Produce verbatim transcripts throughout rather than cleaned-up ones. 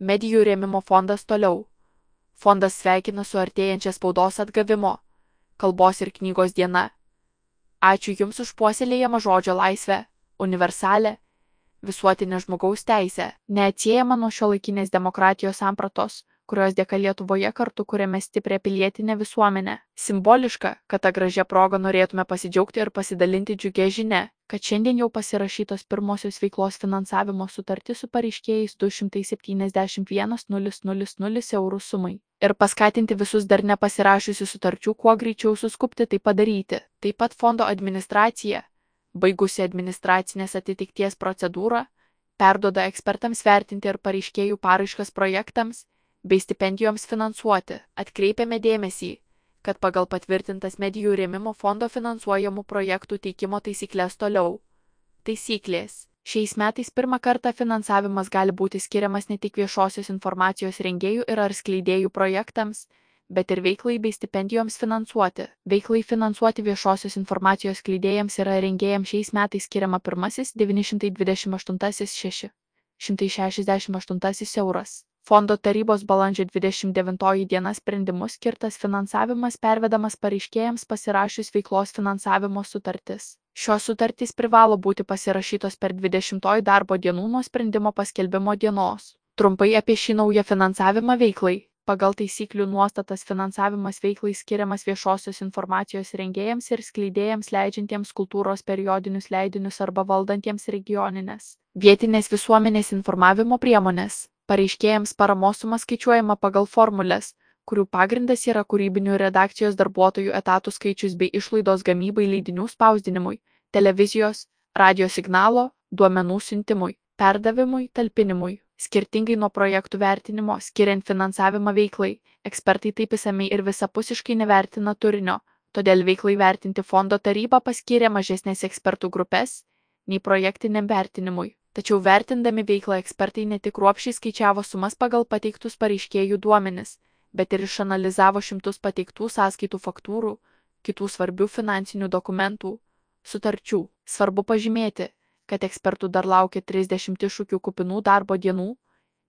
Medijų rėmimo fondas toliau. Fondas sveikina su artėjančia spaudos atgavimo, kalbos ir knygos diena. Ačiū Jums už puoselėjamą žodžio laisvę, universalę, visuotinę žmogaus teisę, neatsiejamą nuo šiuolaikinės demokratijos sampratos, kurios dėka Lietuvoje kartu kuriame stiprią pilietinę visuomenę. Simboliška, kad tą gražią progą norėtume pasidžiaugti ir pasidalinti džiugia žinia, kad šiandien jau pasirašytos pirmosios veiklos finansavimo sutartys su pareiškėjais du šimtai septyniasdešimt vienas nulis nulis nulis eurų sumai. Ir paskatinti visus dar nepasirašiusių sutarčių kuo greičiau suskubti tai padaryti. Taip pat fondo administracija, baigusi administracinės atitikties procedūrą, perduoda ekspertams vertinti ir pareiškėjų paraiškas projektams bei stipendijoms finansuoti. Atkreipiame dėmesį, kad pagal patvirtintas medijų rėmimo fondo finansuojamų projektų teikimo taisyklės toliau. Taisyklės. Šiais metais pirmą kartą finansavimas gali būti skiriamas ne tik viešosios informacijos rengėjų ir ar skleidėjų projektams, bet ir veiklai bei stipendijoms finansuoti. Veiklai finansuoti viešosios informacijos skleidėjams ir rengėjams šiais metais skiriama pirmasis devyni šimtai dvidešimt aštuntasis šeši šimtai šešiasdešimt aštuntasis euras. Fondo tarybos balandžio dvidešimt devintoji diena sprendimu skirtas finansavimas pervedamas pareiškėjams pasirašius veiklos finansavimo sutartis. Šios sutartys privalo būti pasirašytos per dvidešimtoji darbo dienų nuo sprendimo paskelbimo dienos. Trumpai apie šį naują finansavimą veiklai. Pagal taisyklių nuostatas finansavimas veiklai skiriamas viešosios informacijos rengėjams ir skleidėjams leidžiantiems kultūros periodinius leidinius arba valdantiems regioninės, vietinės visuomenės informavimo priemonės. Pareiškėjams paramos suma skaičiuojama pagal formulės, kurių pagrindas yra kūrybinių redakcijos darbuotojų etatų skaičius bei išlaidos gamybai leidinių spausdinimui, televizijos, radio signalo, duomenų siuntimui, perdavimui, talpinimui. Skirtingai nuo projektų vertinimo, skiriant finansavimą veiklai, ekspertai taip išsamei ir visapusiškai nevertina turinio, todėl veiklai vertinti fondo taryba paskyrė mažesnės ekspertų grupės nei projektiniam vertinimui. Tačiau vertindami veiklą ekspertai ne tik kruopščiai skaičiavo sumas pagal pateiktus pareiškėjų duomenis, bet ir išanalizavo šimtus pateiktų sąskaitų faktūrų, kitų svarbių finansinių dokumentų, sutarčių. Svarbu pažymėti, kad ekspertų dar laukia trisdešimt iššūkių kupinų darbo dienų,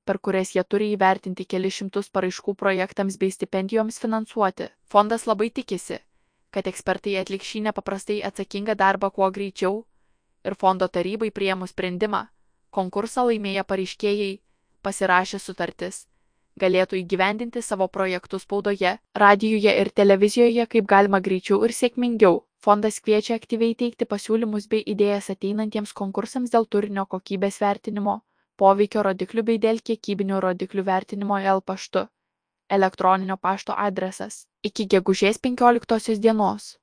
per kurias jie turi įvertinti kelis šimtus paraiškų projektams bei stipendijoms finansuoti. Fondas labai tikisi, kad ekspertai atliks šį nepaprastai atsakingą darbą kuo greičiau ir fondo tarybai priėmus sprendimą, konkursą laimėję pareiškėjai, pasirašę sutartis, galėtų įgyvendinti savo projektus spaudoje, radijuje ir televizijoje kaip galima greičiau ir sėkmingiau. Fondas kviečia aktyviai teikti pasiūlymus bei idėjas ateinantiems konkursams dėl turinio kokybės vertinimo, poveikio rodiklių bei dėl kiekybinių rodiklių vertinimo el paštu. Elektroninio pašto adresas. Iki gegužės penkioliktosios dienos.